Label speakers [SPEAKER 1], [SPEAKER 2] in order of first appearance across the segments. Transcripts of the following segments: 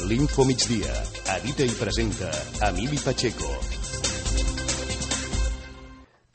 [SPEAKER 1] L'Infomigdia. Edita i presenta Emili Pacheco.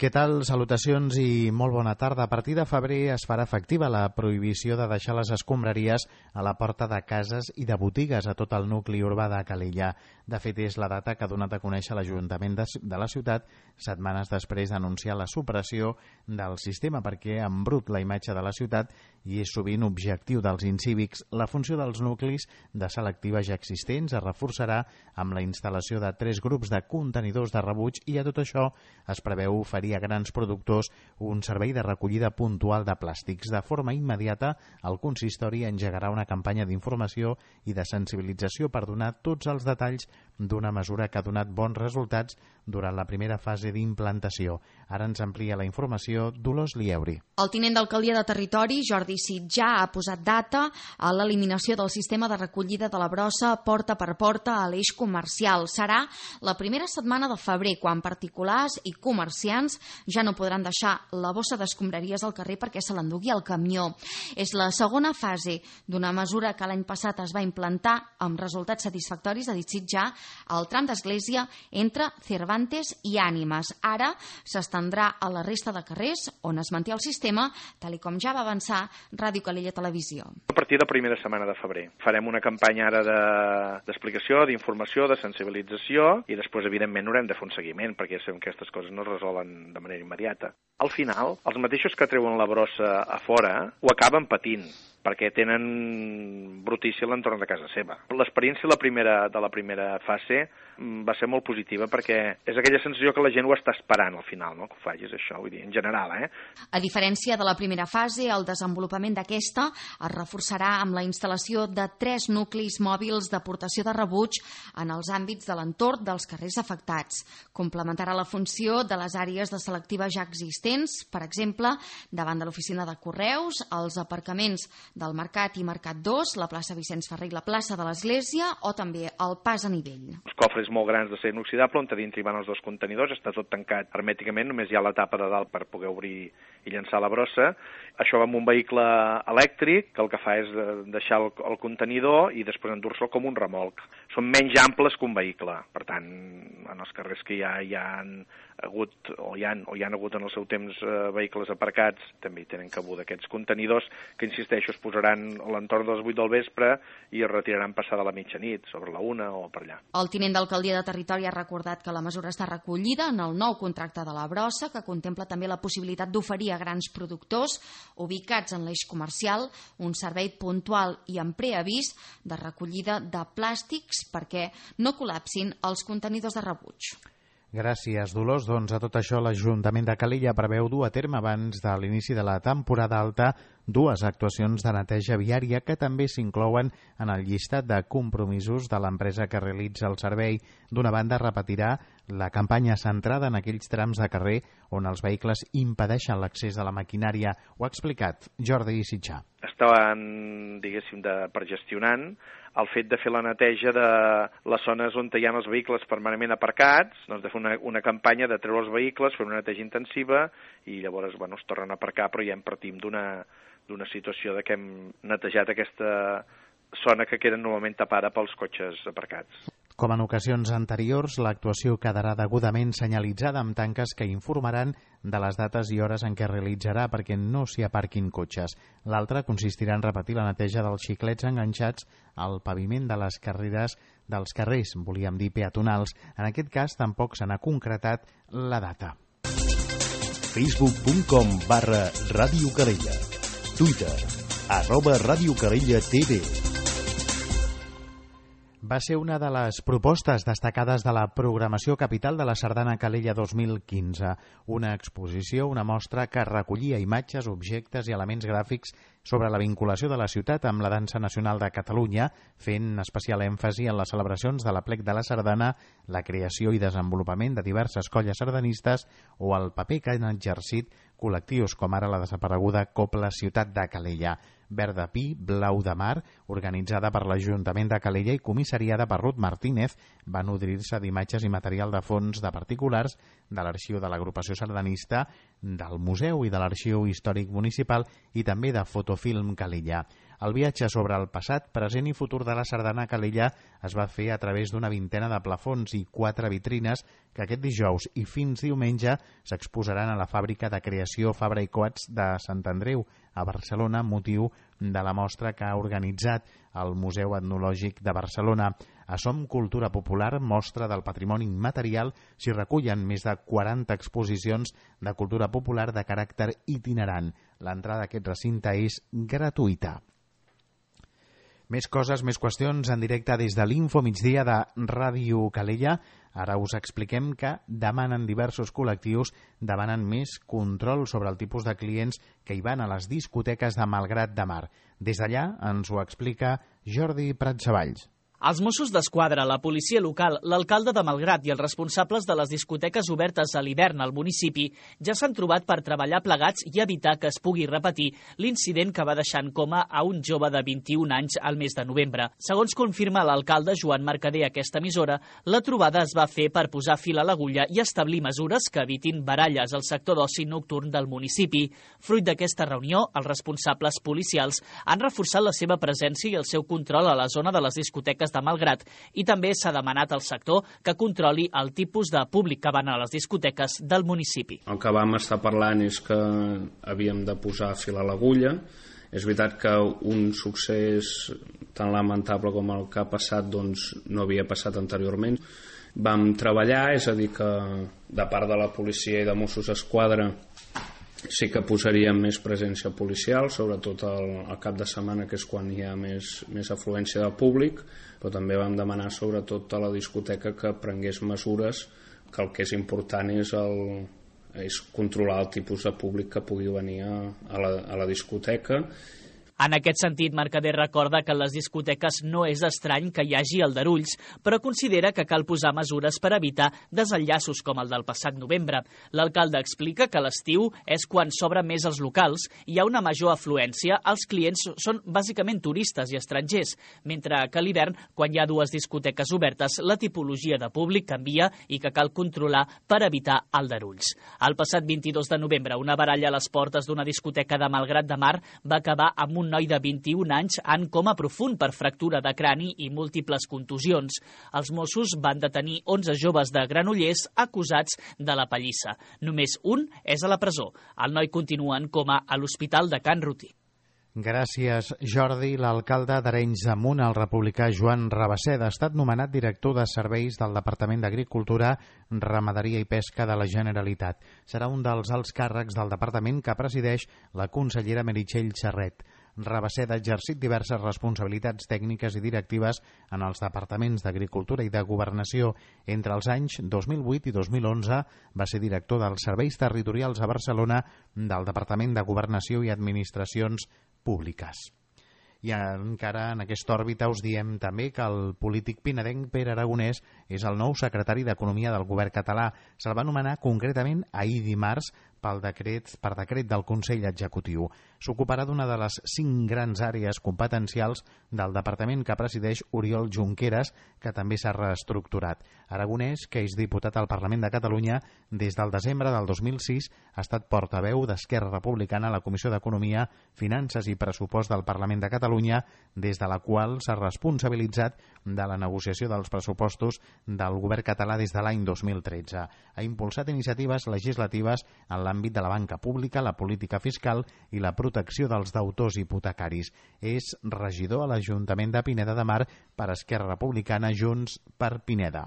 [SPEAKER 2] Què tal? Salutacions i molt bona tarda. A partir de febrer es farà efectiva la prohibició de deixar les escombraries a la porta de cases i de botigues a tot el nucli urbà de Calella. De fet, és la data que ha donat a conèixer l'Ajuntament de la ciutat setmanes després d'anunciar la supressió del sistema perquè embrut la imatge de la ciutat i és sovint objectiu dels incívics. La funció dels nuclis de selectiva ja existents es reforçarà amb la instal·lació de 3 grups de contenidors de rebuig i a tot això es preveu oferir a grans productors un servei de recollida puntual de plàstics. De forma immediata, el consistori engegarà una campanya d'informació i de sensibilització per donar tots els detalls d'una mesura que ha donat bons resultats durant la primera fase d'implantació. Ara ens amplia la informació Dolors Lieuri.
[SPEAKER 3] El tinent d'alcaldia de Territori, Jordi Sitjà, ha posat data a l'eliminació del sistema de recollida de la brossa porta per porta a l'eix comercial. Serà la primera setmana de febrer, quan particulars i comerciants ja no podran deixar la bossa d'escombraries al carrer perquè se l'endugui el camió. És la segona fase d'una mesura que l'any passat es va implantar amb resultats satisfactoris, ha dit Sitjà, al tram d'església entre Cervantes i Ànimes. Ara s'estendrà a la resta de carrers on es manté el sistema, tal com ja va avançar Ràdio Calella Televisió.
[SPEAKER 4] A partir de la primera setmana de febrer. Farem una campanya ara d'explicació, d'informació, de sensibilització i després, evidentment, haurem de fer un seguiment perquè ja sabem que aquestes coses no es resolen de manera immediata. Al final, els mateixos que treuen la brossa a fora ho acaben patint perquè tenen brutícia a l'entorn de casa seva. L'experiència de la primera fase va ser molt positiva perquè és aquella sensació que la gent ho està esperant al final, no? Que ho facis això, vull dir, en general,
[SPEAKER 3] A diferència de la primera fase, el desenvolupament d'aquesta es reforçarà amb la instal·lació de 3 nuclis mòbils d'aportació de rebuig en els àmbits de l'entorn dels carrers afectats. Complementarà la funció de les àrees de selectiva ja existents, per exemple, davant de l'oficina de correus, els aparcaments del Mercat i Mercat 2, la plaça Vicenç Ferrer i la plaça de l'Església o també el pas a nivell.
[SPEAKER 4] Els cofres molt grans de ser inoxidable on a dintre hi van els 2 contenidors, està tot tancat hermèticament, només hi ha la tapa de dalt per poder obrir i llançar la brossa. Això va amb un vehicle elèctric que el que fa és deixar el contenidor i després endur-se'l com un remolc. Són menys amples que un vehicle, per tant, en els carrers que hi han hagut o hi han hagut en el seu temps vehicles aparcats, també hi tenen cabuda aquests contenidors que, insisteixo, es posaran a l'entorn de les 8 del vespre i es retiraran passada la mitjanit, sobre la 1 o per allà.
[SPEAKER 3] El tinent d'alcaldia de Territori ha recordat que la mesura està recollida en el nou contracte de la brossa, que contempla també la possibilitat d'oferir a grans productors ubicats en l'eix comercial un servei puntual i amb preavís de recollida de plàstics perquè no col·lapsin els contenidors de rebuig.
[SPEAKER 2] Gràcies, Dolors. Doncs a tot això l'Ajuntament de Calella preveu dur a terme abans de l'inici de la temporada alta 2 actuacions de neteja viària que també s'inclouen en el llistat de compromisos de l'empresa que realitza el servei. D'una banda, repetirà la campanya centrada en aquells trams de carrer on els vehicles impedeixen l'accés de la maquinària. Ho ha explicat Jordi Sitjà.
[SPEAKER 4] Estaven, diguéssim, per gestionant el fet de fer la neteja de les zones on hi ha els vehicles permanentment aparcats, doncs de fer una campanya de treure els vehicles, fer una neteja intensiva i llavors es tornen a aparcar, però ja en partim d'una situació de que hem netejat aquesta zona que queda normalment tapada pels cotxes aparcats.
[SPEAKER 2] Com en ocasions anteriors, l'actuació quedarà degudament senyalitzada amb tanques que informaran de les dates i hores en què realitzarà perquè no s'hi aparquin cotxes. L'altra consistirà en repetir la neteja dels xiclets enganxats al paviment de les carreres dels carrers, volíem dir peatonals. En aquest cas tampoc se n'ha concretat la data.
[SPEAKER 1] Facebook.com/Ràdio Calella. Twitter @Ràdio Calella TV.
[SPEAKER 2] Va ser una de les propostes destacades de la programació capital de la Sardana Calella 2015. Una exposició, una mostra que recollia imatges, objectes i elements gràfics sobre la vinculació de la ciutat amb la dansa nacional de Catalunya, fent especial èmfasi en les celebracions de l'Aplec de la Sardana, la creació i desenvolupament de diverses colles sardanistes o el paper que han exercit col·lectius com ara la desapareguda Copla Ciutat de Calella. Verd de Pi, Blau de Mar, organitzada per l'Ajuntament de Calella i comissariada per Ruth Martínez, va nodrir-se d'imatges i material de fons de particulars de l'arxiu de l'agrupació sardanista, del museu i de l'arxiu històric municipal i també de Fotofilm Calella. El viatge sobre el passat, present i futur de la sardana a Calella es va fer a través d'una vintena de plafons i 4 vitrines que aquest dijous i fins diumenge s'exposaran a la fàbrica de creació Fabra i Coats de Sant Andreu, a Barcelona, motiu de la mostra que ha organitzat el Museu Etnològic de Barcelona. A Som Cultura Popular, mostra del patrimoni immaterial, s'hi recullen més de 40 exposicions de cultura popular de caràcter itinerant. L'entrada a aquest recinte és gratuïta. Més coses, més qüestions en directe des de l'Info Migdia de Ràdio Calella. Ara us expliquem que demanen diversos col·lectius més control sobre el tipus de clients que hi van a les discoteques de Malgrat de Mar. Des d'allà ens ho explica Jordi Pratsavalls.
[SPEAKER 5] Els Mossos d'Esquadra, la policia local, l'alcalde de Malgrat i els responsables de les discoteques obertes a l'hivern al municipi ja s'han trobat per treballar plegats i evitar que es pugui repetir l'incident que va deixar en coma a un jove de 21 anys al mes de novembre. Segons confirma l'alcalde Joan Mercader a aquesta emissora, la trobada es va fer per posar fil a l'agulla i establir mesures que evitin baralles al sector d'oci nocturn del municipi. Fruit d'aquesta reunió, els responsables policials han reforçat la seva presència i el seu control a la zona de les discoteques de Malgrat i també s'ha demanat al sector que controli el tipus de públic que van a les discoteques del municipi.
[SPEAKER 6] El que vam estar parlant és que havíem de posar fil a l'agulla. És veritat que un succés tan lamentable com el que ha passat no havia passat anteriorment. Vam treballar, és a dir que de part de la policia i de Mossos d'Esquadra sí que posaríem més presència policial, sobretot al cap de setmana, que és quan hi ha més afluència de públic, però també vam demanar sobretot a la discoteca que prengués mesures, que el que és important és controlar el tipus de públic que pugui venir a la discoteca.
[SPEAKER 5] En aquest sentit, Mercader recorda que en les discoteques no és estrany que hi hagi aldarulls, però considera que cal posar mesures per evitar desenllaços com el del passat novembre. L'alcalde explica que l'estiu és quan s'obren més els locals i hi ha una major afluència. Els clients són bàsicament turistes i estrangers, mentre que a l'hivern, quan hi ha dues discoteques obertes, la tipologia de públic canvia i que cal controlar per evitar aldarulls. El passat 22 de novembre, una baralla a les portes d'una discoteca de Malgrat de Mar va acabar amb un noi de 21 anys en coma profund per fractura de crani i múltiples contusions. Els Mossos van detenir 11 joves de Granollers acusats de la pallissa. Només un és a la presó. El noi continua en coma a l'Hospital de Can Rutí.
[SPEAKER 2] Gràcies, Jordi. L'alcalde d'Arenys de Munt, el republicà Joan Rabaseda, ha estat nomenat director de serveis del Departament d'Agricultura, Ramaderia i Pesca de la Generalitat. Serà un dels alts càrrecs del departament que presideix la consellera Meritxell Serret. Rabaseda ha exercit diverses responsabilitats tècniques i directives en els departaments d'Agricultura i de Governació. Entre els anys 2008 i 2011 va ser director dels Serveis Territorials a Barcelona del Departament de Governació i Administracions Públiques. I encara en aquesta òrbita us diem també que el polític pinedenc Pere Aragonès és el nou secretari d'Economia del govern català. Se'l va nomenar concretament ahir dimarts per decret del Consell Executiu. S'ocuparà d'una de les 5 grans àrees competencials del departament que presideix Oriol Junqueras, que també s'ha reestructurat. Aragonès, que és diputat al Parlament de Catalunya des del desembre del 2006, ha estat portaveu d'Esquerra Republicana a la Comissió d'Economia, Finances i Pressupost del Parlament de Catalunya, des de la qual s'ha responsabilitzat de la negociació dels pressupostos del govern català des de l'any 2013. Ha impulsat iniciatives legislatives en l'àmbit de la banca pública, la política fiscal i la protecció dels deutors hipotecaris. És regidor a l'Ajuntament de Pineda de Mar per Esquerra Republicana, Junts per Pineda.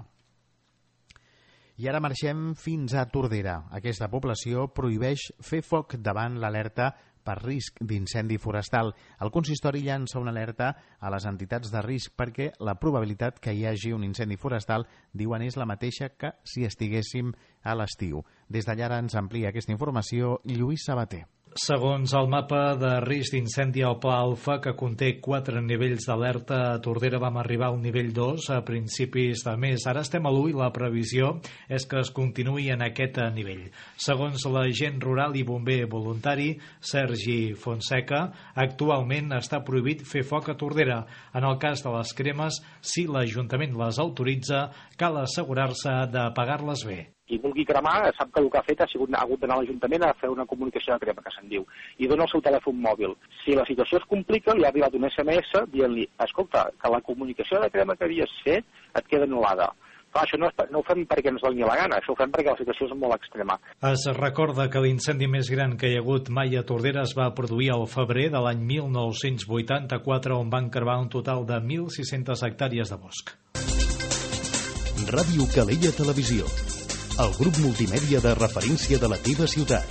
[SPEAKER 2] I ara marxem fins a Tordera. Aquesta població prohibeix fer foc davant l'alerta per risc d'incendi forestal. El consistori llança una alerta a les entitats de risc perquè la probabilitat que hi hagi un incendi forestal, diuen, és la mateixa que si estiguéssim a l'estiu. Des d'allà ara ens amplia aquesta informació Lluís Sabater.
[SPEAKER 7] Segons el mapa de risc d'incendi al Pla Alfa, que conté 4 nivells d'alerta, a Tordera vam arribar al nivell 2 a principis de mes. Ara estem a l'1 i la previsió és que es continuï en aquest nivell. Segons l'agent rural i bomber voluntari Sergi Fonseca, actualment està prohibit fer foc a Tordera. En el cas de les cremes, si l'Ajuntament les autoritza, cal assegurar-se d'apagar-les bé.
[SPEAKER 8] Qui vulgui cremar sap que el que ha fet ha hagut d'anar a l'Ajuntament a fer una comunicació de crema, que se'n diu, i dona el seu telèfon mòbil. Si la situació es complica, li ha arribat un SMS dient-li, escolta, que la comunicació de crema que havies fet et queda anul·lada. Clar, això no ho fem perquè ens doni la gana, això ho fem perquè la situació és molt extrema.
[SPEAKER 7] Es recorda que l'incendi més gran que hi ha hagut mai a Tordera es va produir al febrer de l'any 1984, on van cremar un total de 1.600 hectàrees de bosc.
[SPEAKER 1] Ràdio Calella Televisió, el grup multimèdia de referència de la teva ciutat.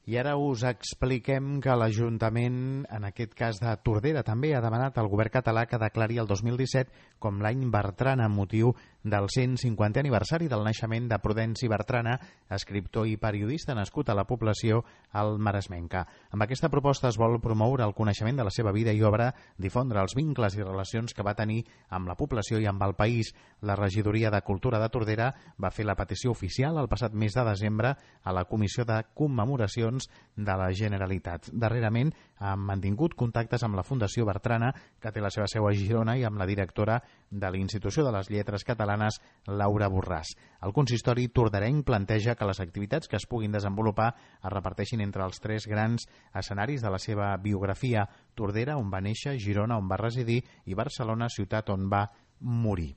[SPEAKER 2] I ara us expliquem que l'Ajuntament, en aquest cas de Tordera, també ha demanat al govern català que declari el 2017 com l'any Bertrana, amb motiu del 150è aniversari del naixement de Prudenci Bertrana, escriptor i periodista nascut a la població al Maresmenca. Amb aquesta proposta es vol promoure el coneixement de la seva vida i obra, difondre els vincles i relacions que va tenir amb la població i amb el país. La Regidoria de Cultura de Tordera va fer la petició oficial el passat mes de desembre a la Comissió de Commemoracions de la Generalitat. Darrerament han mantingut contactes amb la Fundació Bertrana, que té la seva seu a Girona, i amb la directora de l'Institució de les Lletres Catalanes, Laura Borràs. El consistori torderenc planteja que les activitats que es puguin desenvolupar es reparteixin entre els 3 grans escenaris de la seva biografia: Tordera, on va néixer, Girona, on va residir, i Barcelona, ciutat on va morir.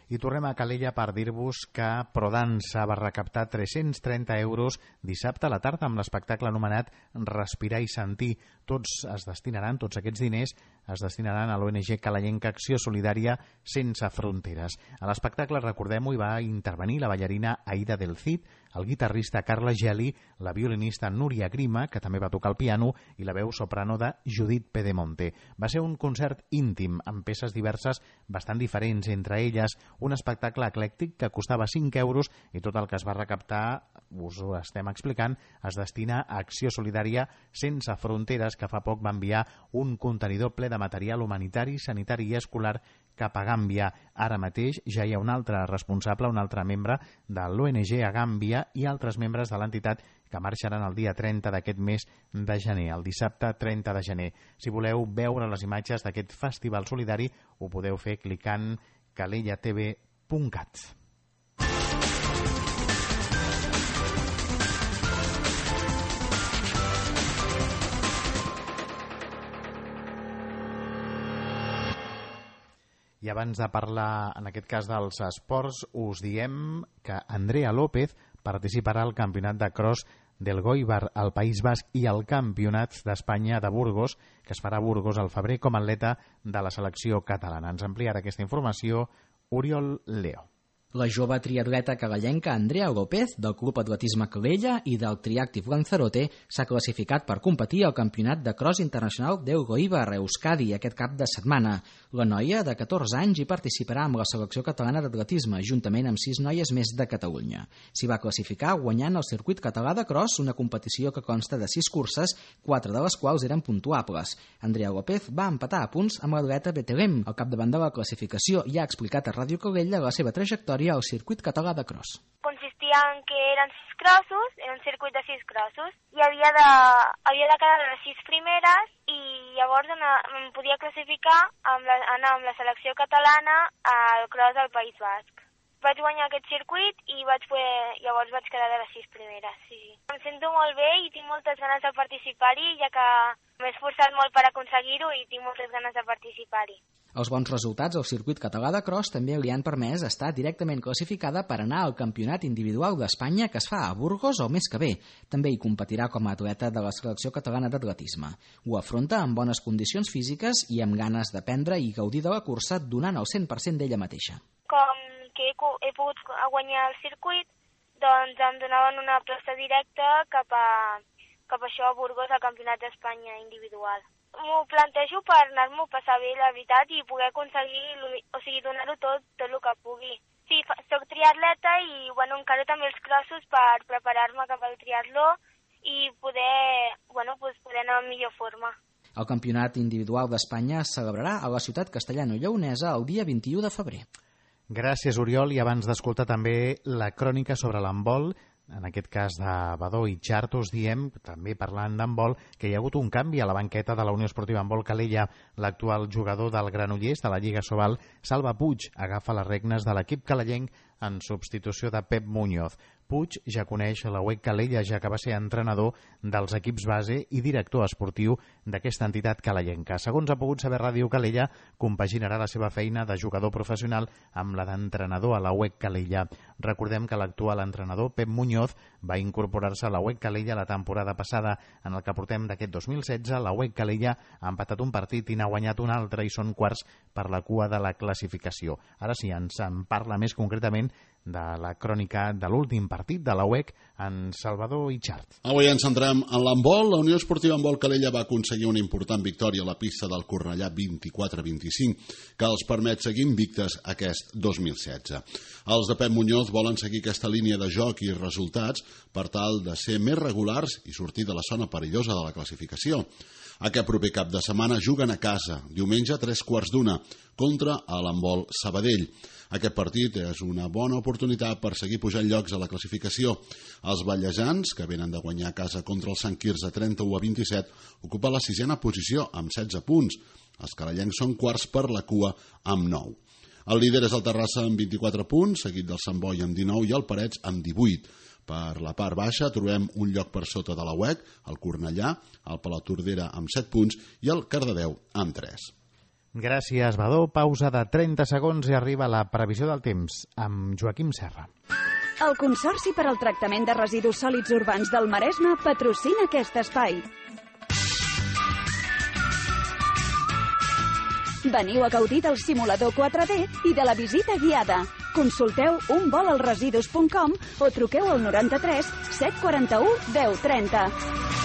[SPEAKER 2] I tornem a Calella per dir-vos que Prodansa va recaptar 330 euros dissabte a la tarda amb l'espectacle anomenat Respirar i Sentir. Tots aquests diners es destinaran a l'ONG calellenca Acció Solidària Sense Fronteres. A l'espectacle, recordem-ho, hi va intervenir la ballarina Aida del Cid, el guitarrista Carla Geli, la violinista Núria Grima, que també va tocar el piano, i la veu soprano de Judit Pedemonte. Va ser un concert íntim, amb peces diverses bastant diferents, entre elles un espectacle eclèctic que costava 5 euros, i tot el que es va recaptar, us ho estem explicant, es destina a Acció Solidària Sense Fronteres, que fa poc va enviar un contenidor ple de material humanitari, sanitari i escolar cap a Gàmbia. Ara mateix ja hi ha un altre responsable, un altre membre de l'ONG a Gàmbia, i altres membres de l'entitat que marxaran el dia 30 d'aquest mes de gener, el dissabte 30 de gener. Si voleu veure les imatges d'aquest festival solidari, ho podeu fer clicant calellatv.cat. I abans de parlar, en aquest cas, dels esports, us diem que Andrea López participarà al campionat de cross del Goibar al País Basc i al campionat d'Espanya de Burgos, que es farà a Burgos al febrer, com a atleta de la selecció catalana. Ens ampliarà aquesta informació Oriol Leo.
[SPEAKER 9] La jove triatleta calellenca Andrea López, del Club Atletisme Calella i del Triactive Lanzarote, s'ha classificat per competir al Campionat de Cross Internacional del Goibar a Euskadi aquest cap de setmana. La noia, de 14 anys, hi participarà amb la selecció catalana d'atletisme, juntament amb 6 noies més de Catalunya. S'hi va classificar guanyant el circuit català de cross, una competició que consta de 6 curses, 4 de les quals eren puntuables. Andrea López va empatar a punts amb l'atleta Betelem, al capdavant de la classificació, i ha explicat a Ràdio Calella la seva trajectòria al circuit català de cross.
[SPEAKER 10] Consistia en que eren 6 crossos, era un circuit de 6 crossos, i havia de quedar les 6 primeres, i llavors em podia classificar anar amb la selecció catalana al cross del País Basc. Vaig guanyar aquest circuit i llavors vaig quedar de les 6 primeres, sí. Em sento molt bé i tinc moltes ganes de participar-hi, ja que m'he esforçat molt per aconseguir-ho i tinc moltes ganes de participar-hi.
[SPEAKER 9] Els bons resultats al circuit català de cross també li han permès estar directament classificada per anar al campionat individual d'Espanya que es fa a Burgos el mes que ve. També hi competirà com a atleta de la selecció catalana d'atletisme. Ho afronta amb bones condicions físiques i amb ganes d'aprendre i gaudir de la cursa, donant el 100% d'ella mateixa.
[SPEAKER 10] Com que he pogut guanyar el circuit, doncs em donaven una plaça directa cap a això a Burgos, al campionat d'Espanya individual. M'ho plantejo per anar-m'ho a passar bé, la veritat, i poder aconseguir, donar-ho tot el que pugui. Sí, soc triatleta i, encara també els crossos per preparar-me cap al triatló i poder anar en millor forma.
[SPEAKER 9] El campionat individual d'Espanya es celebrarà a la ciutat castellano-lleonesa el dia 21 de febrer.
[SPEAKER 2] Gràcies, Oriol, i abans d'escoltar també la crònica sobre l'handbol, en aquest cas de Badó i Xart, us diem, també parlant d'handbol, que hi ha hagut un canvi a la banqueta de la Unió Esportiva Handbol Calella. L'actual jugador del Granollers de la Lliga Sobal, Salva Puig, agafa les regnes de l'equip calellenc en substitució de Pep Muñoz. Puig ja coneix la UEC Calella, ja que va ser entrenador dels equips base i director esportiu d'aquesta entitat calellenca. Segons ha pogut saber Ràdio Calella, compaginarà la seva feina de jugador professional amb la d'entrenador a la UEC Calella. Recordem que l'actual entrenador, Pep Muñoz, va incorporar-se a la UEC Calella la temporada passada. En el que portem d'aquest 2016, la UEC Calella ha empatat un partit i n'ha guanyat un altre i són quarts per la cua de la classificació. Ara sí, ens en parla més concretament de la crònica de l'últim partit de la UEC en Salvador Ixart.
[SPEAKER 11] Avui ens centrem en l'handbol. La Unió Esportiva Handbol Calella va aconseguir una important victòria a la pista del Cornellà 24-25, que els permet seguir invictes aquest 2016. Els de Pep Muñoz volen seguir aquesta línia de joc i resultats per tal de ser més regulars i sortir de la zona perillosa de la classificació. Aquest proper cap de setmana juguen a casa, diumenge a 3:15, contra l'handbol Sabadell. Aquest partit és una bona oportunitat per seguir pujant llocs a la classificació. Els ballesans, que venen de guanyar a casa contra el Sant Quirze 31-27, ocupen la 6a posició amb 16 punts. Els calellencs són quarts per la cua amb 9. El líder és el Terrassa amb 24 punts, seguit del Sant Boi amb 19 i el Parets amb 18. Per la part baixa trobem un lloc per sota de la UEC, el Cornellà, el Palautordera amb 7 punts i el Cardedeu amb 3.
[SPEAKER 2] Gràcies, Badó. Pausa de 30 segons i arriba la previsió del temps amb Joaquim Serra.
[SPEAKER 12] El Consorci per al Tractament de Residus Sòlids Urbans del Maresme patrocina aquest espai. Veniu a gaudir del simulador 4D i de la visita guiada. Consulteu unvolalresidus.com o truqueu al 93 741 1030.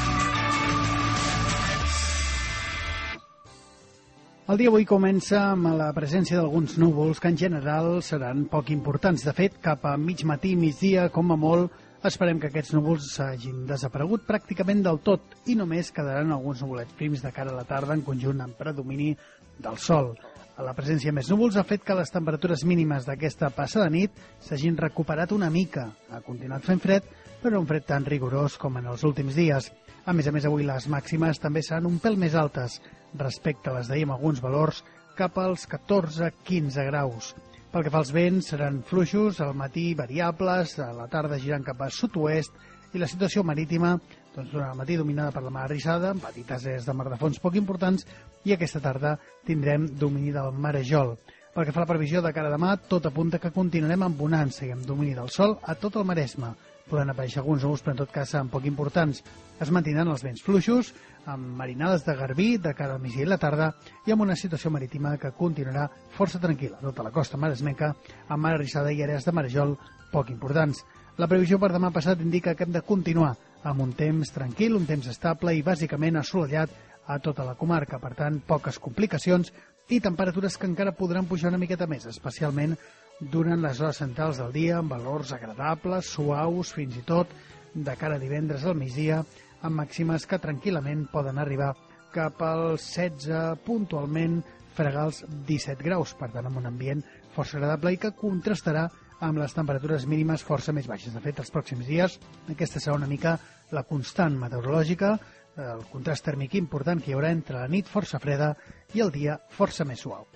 [SPEAKER 13] El dia avui comença amb la presència d'alguns núvols que en general seran poc importants. De fet, cap a mig matí, migdia, com a molt, esperem que aquests núvols hagin desaparegut pràcticament del tot i només quedaran alguns nuvolets prims de cara a la tarda en conjunt amb predomini del sol. La presència de més núvols ha fet que les temperatures mínimes d'aquesta passada nit s'hagin recuperat una mica. Ha continuat fent fred, però un fred tan rigorós com en els últims dies. A més, avui les màximes també seran un pèl més altes respecte a les d'ahir amb alguns valors cap als 14-15 graus. Pel que fa als vents, seran fluixos, al matí variables, a la tarda girant cap a sud-oest i la situació marítima durant el matí dominada per la mar arrissada, amb petites es de mar de fons poc importants, i aquesta tarda tindrem domini del marejol. Pel que fa a la previsió de cara a demà, tot apunta que continuarem amb bonança i amb domini del sol a tot el Maresme. Poden aparèixer alguns núvols, però en tot cas seran poc importants. Es mantindran els vents fluixos, amb marinades de garbí de cara al migdia i la tarda, i amb una situació marítima que continuarà força tranquil·la. Tota la costa maresmenca, amb mar arrissada i àrees de marejol poc importants. La previsió per demà passat indica que hem de continuar amb un temps tranquil, un temps estable i bàsicament assolellat a tota la comarca. Per tant, poques complicacions i temperatures que encara podran pujar una miqueta més, especialment durant les hores centrals del dia, amb valors agradables, suaus, fins i tot de cara a divendres al migdia, amb màximes que tranquil·lament poden arribar cap als 16, puntualment fregar els 17 graus, per tant amb un ambient força agradable i que contrastarà amb les temperatures mínimes força més baixes. De fet, els pròxims dies aquesta serà una mica la constant meteorològica, el contrast tèrmic important que hi haurà entre la nit força freda i el dia força més suau.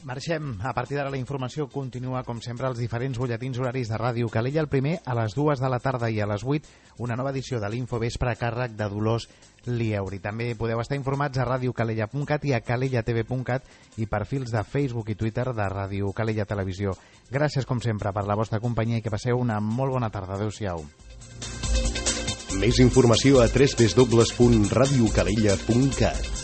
[SPEAKER 2] Marxem. A partir d'ara la informació continua, com sempre, als diferents butlletins horaris de Ràdio Calella. El primer a les 2 de la tarda i a les 8 una nova edició de l'Infovespre a càrrec de Dolors Lieuri. També podeu estar informats a radiocalella.cat i a calellatv.cat i perfils de Facebook i Twitter de Ràdio Calella Televisió. Gràcies, com sempre, per la vostra companyia i que passeu una molt bona tarda. Adéu-siau.
[SPEAKER 1] Més informació a www.radiocalella.cat.